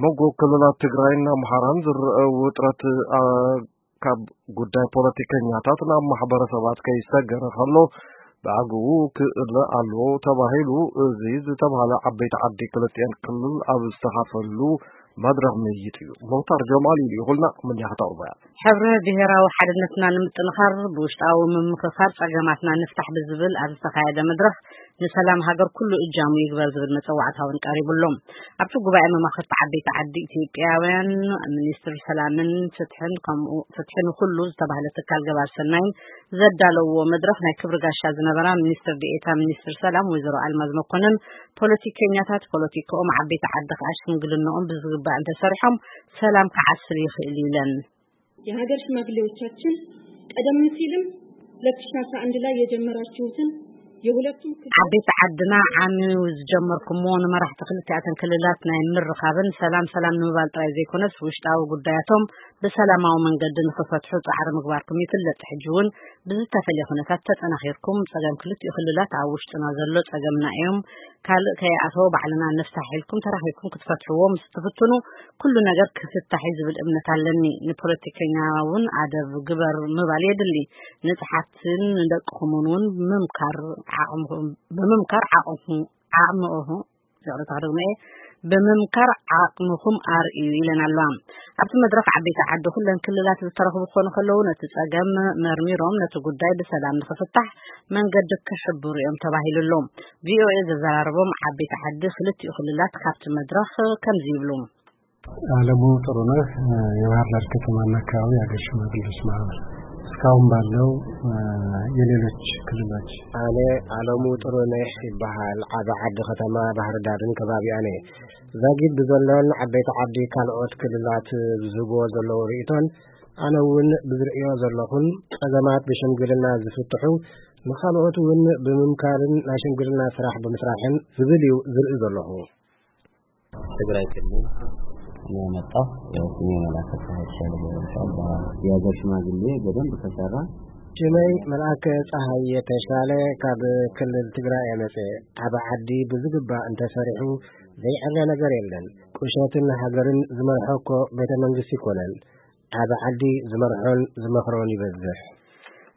መንጎ ክልላት ትግራይን ኣምሓራን ዝረአ ውጥረት፣ ኣ፣ ካብ ጉዳይ ፖለቲከኛታት ናብ ማሕበረሰባት ከይሰገረ ከሎ ብኣግኡ ክእለ ኣለዎ ተባሂሉ። እዚ ዝተባሃለ ዓበይቲ ዓዲ ክልቲኤን ክልል ኣብ ዝተኻፈልሉ መድረኽ ምይይጥ እዩ። ሙኽታር ጀማል ኢሉ ይኹልና ምንያ ከተቕርቦ እያ። ሕብረ ብሔራዊ ሓድነትና ንምጥንኻር ብውሽጣዊ ምምክኻር ጸገማትና ንፍታሕ ብዝብል ኣብ ዝተኻየደ መድረኽ ንሰላም ሃገር ኩሉ እጃሙ ይግበር ዝብል መጸዋዕታ እውን ቀሪቡ ኣሎ። ኣብቲ ጉባኤ መማኽርቲ ዓበይቲ ዓዲ ኢትዮጵያውያን ሚኒስትር ሰላምን ፍትሕን ከምኡ ፍትሒ ንኹሉ ዝተባህለ ትካል ገባር ሰናይን ዘዳለውዎ መድረኽ ናይ ክብሪ ጋሻ ዝነበራ ሚኒስትር ዴኤታ ሚኒስትር ሰላም ወይዘሮ ኣልማዝ መኮንን ፖለቲከኛታት ፖለቲካኦም ዓበይቲ ዓዲ ከዓ ሽምግልናኦም ብዝግባእ እንተሰሪሖም ሰላም ክዓስል ይኽእል እዩ ኢለን። የሀገር ሽማግሌዎቻችን ቀደም ሲልም ሁለት ሺህ አስራ አንድ ላይ የጀመራችሁትን የሁለቱም ክልል ዓበይቲ ዓድና ዓሚ ዝጀመርኩሞ ንመራሕቲ ክልቲኣተን ክልላት ናይ ምርኻብን ሰላም ሰላም ንምባል ጥራይ ዘይኮነስ ውሽጣዊ ጉዳያቶም ብሰላማዊ መንገዲ ንኽፈትሑ ጻዕሪ ምግባርኩም ይፍለጥ። ሕጂ እውን ብዝተፈለየ ኩነታት ተጠናኺርኩም ጸገም ክልቲኡ ክልላት ኣብ ውሽጥና ዘሎ ጸገምና እዮም፣ ካልእ ከይኣተወ ባዕልና ንፍታሕ ኢልኩም ተራኺብኩም ክትፈትሕዎ ምስ ትፍትኑ ኩሉ ነገር ክፍታሕ እዩ ዝብል እምነት ኣለኒ። ንፖለቲከኛ እውን ኣደብ ግበር ምባል የድሊ። ንጽሓትን ንደቅኹምን እውን ምምካር ዓቕምኹም፣ ብምምካር ዓቕምኹም፣ ዓቕምኹም፣ ይቕረታ ክደግሞ እየ፣ ብምምካር ዓቕምኹም ኣርእዩ ኢለን ኣለዋ። ኣብቲ መድረኽ ዓበይቲ ዓዲ ኩለን ክልላት ዝተረኽቡ ክኾኑ ከለዉ ነቲ ጸገም መርሚሮም ነቲ ጉዳይ ብሰላም ንኽፍታሕ መንገዲ ክሕብሩ እዮም ተባሂሉ ኣሎ። ቪኦኤ ዘዘራረቦም ዓበይቲ ዓዲ ክልቲኡ ክልላት ካብቲ መድረኽ ከምዚ ይብሉ። አለሙ ጥሩነህ፣ የባህር ዳር ከተማና አካባቢ የሀገር ሽማግሌዎች ማህበር እስካሁን ባለው የሌሎች ክልሎች። ኣነ ኣለሙ ጥሩነህ ይበሃል። ዓቢ ዓዲ ከተማ ባህር ዳርን ከባቢኣን እየ። ዛጊድ ብዘሎን ዓበይቲ ዓዲ ካልኦት ክልላት ብዝህብዎ ዘለዉ ርእይቶን ኣነ እውን ብዝርእዮ ዘለኹን ጸገማት ብሽምግልና ዝፍትሑ ንኻልኦት እውን ብምምካርን ናይ ሽምግልና ስራሕ ብምስራሕን ዝብል እዩ ዝርኢ ዘለኹ። ትግራይ ክልል ነው የመጣው። ያው ስሜ መላከ ፀሐይ ተሻለ ገብረ ይባላል። የሀገር ሽማግሌ በደንብ ከሰራ ሽመይ መልኣከ ፀሐይ የተሻለ ካብ ክልል ትግራይ የመፀ። ኣብ ዓዲ ብዝግባእ እንተሰሪሑ ዘይዕረ ነገር የለን። ቁሸትን ሃገርን ዝመርሖ እኮ ቤተ መንግስቲ ይኮነን። ኣብ ዓዲ ዝመርሖን ዝመኽሮን ይበዝሕ።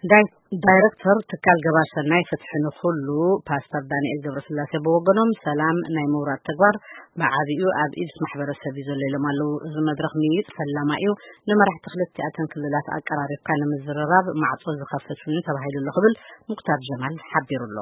ዳይ-፣ ዳይረክተር ትካል ገባር ሰናይ ፍትሒ ንኹሉ ፓስተር ዳንኤል ገብረስላሴ ብወገኖም ሰላም ናይ ምውራድ ተግባር ብዓቢኡ ኣብ ኢድስ ማሕበረሰብ እዩ ዘሎ ኢሎም ኣለዉ። እዚ መድረኽ ምይይጥ ፈላማ እዩ። ንመራሕቲ ክልቲኣተን ክልላት ኣቀራሪብካ ንምዝርራብ ማዕጾ ዝኸፍት እውን ተባሂሉ ኣሎ ክብል ሙክታር ጀማል ሓቢሩ ኣሎ።